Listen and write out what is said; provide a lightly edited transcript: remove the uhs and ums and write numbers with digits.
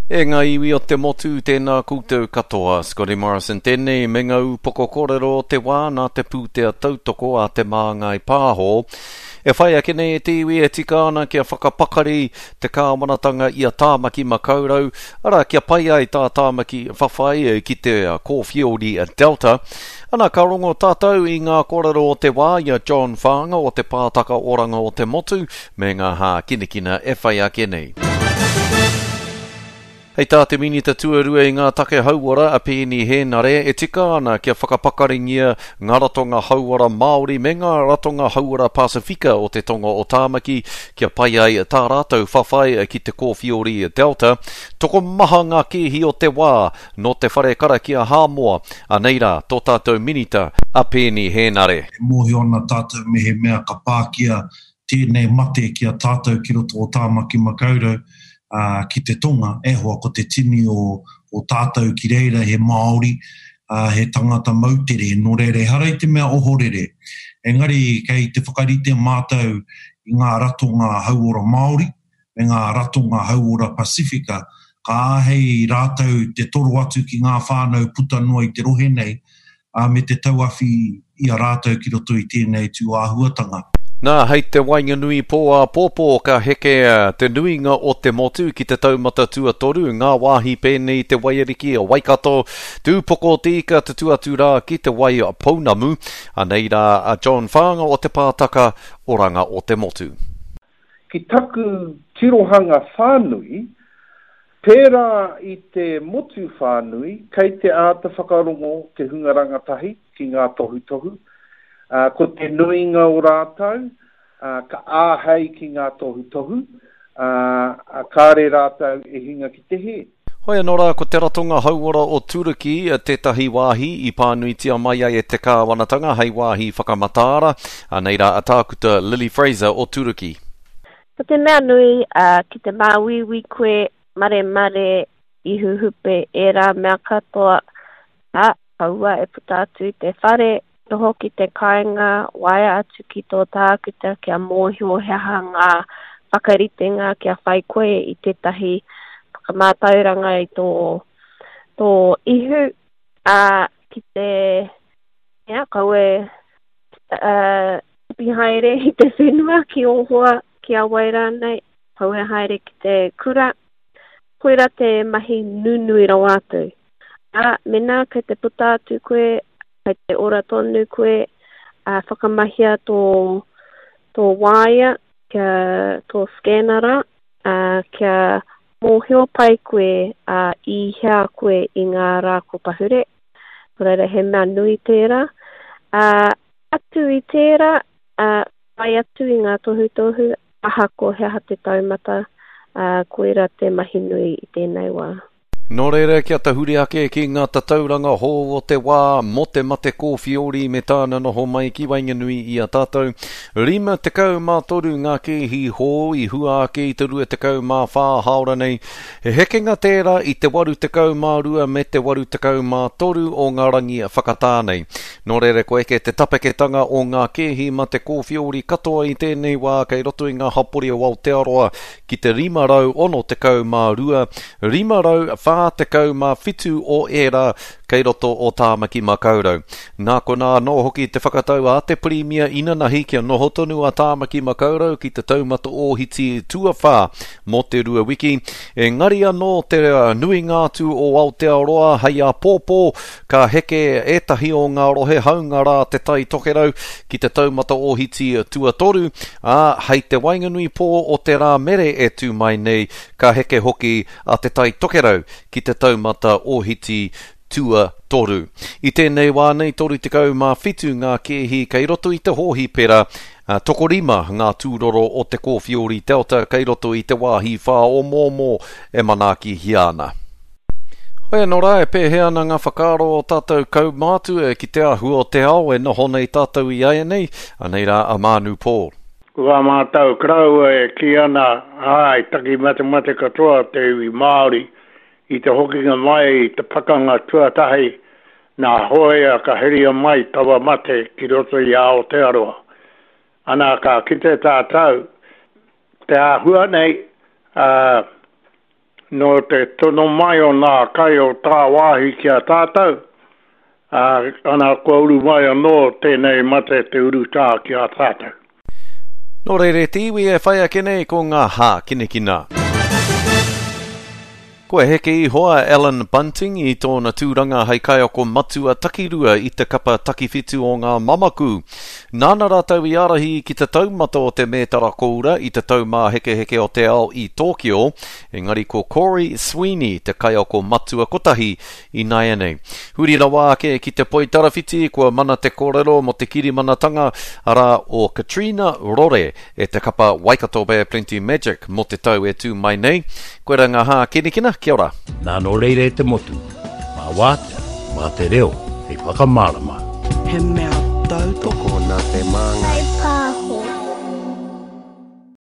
E ngā iwi o te motu, tēnā koutou katoa. Scotty Morrison tēnei me ngā ūpoko kōrero o te wā nā te pūtea tautoko a Te Māngai Pāho. E whai ake nei e te iwi e tika ana kia whakapakari te kāwanatanga i a Tāmaki Makaurau, arā kia pai ai tā Tāmaki whawhai ki te kōwhiori Delta. Ana ka rongo tātou i ngā kōrero o te wā i a John Whaanga o Te Pātaka Oranga o te Motu me ngā hākinakina e whai ake nei. Hei tā te Minita Tuarua i ngā take hauora a Peeni Hēnare, e tika ana kia whakapakaringia ngā ratonga hauora Māori me ngā ratonga hauora Pasifika o te tonga o Tāmaki kia pai ai tā rātou whawhai ki te kōwhiori Delta. Tokomaha ngā kēhi o te wā nō te whare karakia Hāmoa. Anei rā tō tātou Minita a Peeni Hēnare. E mōhio ana tātou mehemea ka pākia tēnei mate ki a tātou ki roto o Tāmaki Makaurau ki te tonga, e hoa ko te tini o, o tātou ki reira he Māori, he tangata moutere, nō reira ehara i te mea ohorere. Engari kei te whakarite mātou i ngā ratonga hauora Māori me ngā ratonga hauora Pasifika, ka āhei rātou te toro atu ki ngā whānau puta noa i te rohe nei, ā, me te tauawhi i a rātou ki roto i tēnei tū āhuatanga. Nā, hei te waenganui pō āpōpō ka heke te nuinga o te motu ki te taumata tuatoru, ngā wāhi pēnei i te Waiariki, Waikato, Tūpoko o te Ika tutū atu rā ki Te Wai Pounamu. Anei rā a John Whaanga o Te Pātaka Oranga o te Motu. Ki taku tirohanga whānui, pērā i te motu whānui, kei te āta whakarongo te hunga rangatahi ki ngā tohutohu, ā, ko te nuinga o rātou, ā, ka āhei ki ngā tohutohu, ā, kāre rātou e hinga ki te hē. Hoi anō rā, ko te Ratonga Hauora o Turuki tētahi wāhi i pānuitia mai ai e te kāwanatanga hei wāhi whakamataara. Anei rā a Tākuta Lily Fraser o Turuki. Ko te mea nui, ki te māuiui koe, maremare, ihu hupe, ērā mea katoa, ā, kaua e puta atu i te whare, Noho ki te kāinga, waea atu ki tō tākuta kia mōhio he aha ngā whakaritenga kia whai koe i tētahi whakamātauranga i tō, tō ihu, ā, ki te, ia, kaua e, ā, tipi haere i te whenua ki ō hoa, ki a wai rānei, kaua e haere ki te kura. Koirā te mahi nunui rawa atu. Ā, mēnā kei te puta atu koe, kei te ora tonu koe, ā, whakamahia tō, tō waea, kia, tō scanner rā, ā, kia mōhio pai koe, ā, i hea koe i ngā rā ko pahure. Nō reira, he mea nui tērā. Ā, atu i tērā, ā, whai atu i ngā tohutohu, ahakoa he aha te taumata, ā, koirā te mahi nui i tēnei wā. Nō reira, kia tahuri ake ki ngā tatauranga hou o te wā mō te mate kōwhiori me tāna noho mai ki waenganui i a tātou. 53 ngā kēhi hou i hua ake i te 24 hāora nei. He hekenga tērā i te 82 me te 83 o ngā rangi whakatā nei. Nō reira, kua eke te tapeketanga o ngā kēhi mate kōwhiori katoa i tēnei wā kei roto i ngā hapori o Aotearoa ki te 562, 547 o ērā kei roto o Tāmaki Makaurau. Nā konā anō hoki te whakatau a te Pirimia inanahi kia noho tonu a Tāmaki Makaurau ki te taumata ōhiti tuawhā mō te rua wiki, engari anō te nuinga atu o Aotearoa hei āpōpō Ka heke ētahi o ngā rohe hāunga rā Te Tai Tokerau ki te taumata ōhiti tuatoru, ā, hei te waenganui pō o te Rāmere e tū mai nei, ka heke hoki a Te Tai Tokerau ki te taumata ōhiti tuatoru. I tēnei wā nei, 37 ngā kēhi kei roto i te hōhipera, ā, tokorima ngā tūroro o te Kōwhiori Delta kei roto i te wāhi whāomoomo e manaakihia ana. Hoi anō rā, e pēhea ana ngā whakaaro o tātou kaumātua ki te āhua o te ao e noho nei tātou i āianei? Anei rā a Mānu Paul. Ko tā mātou koroua e kī ana, āe, taki matemate katoa te iwi Māori i te hokinga mai i te pakanga tuatahi nā hōia ka heria mai taua mate ki roto i a Aotearoa. Ana ka kite tātou te āhua nei, ā, Nō te tono mai o nā kai o tāwāhi ki a tātou, ā, ana kua uru mai anō tēnei mate te urutā ki a tātou. Nō reira e te iwi e whai ake nei ko ngā hākinakina. Kua heke iho a Allan Bunting i tōna tūranga hei kaiako matua takirua i te kapa takiwhitu o ngā Mamaku. Nāna rātou i ārahi ki te taumata o te mētara koura i te Taumāhekeheke o te Ao i Tōkio, engari ko Corey Sweeney te kaiako matua kotahi Ināianei, huri rawa ake ki te poitarawhiti, kua mana te kōrero mō te kirimanatanga, arā, o Katrina Rore e te kapa Waikato Bay of Plenty Magic mō te tau e tū mai nei. Koira ngā hākinakina, kia ora. Nā nō reira e te motu, mā wātea, mā te reo hei whakamārama. He mea tautoko. Tokona te māngai.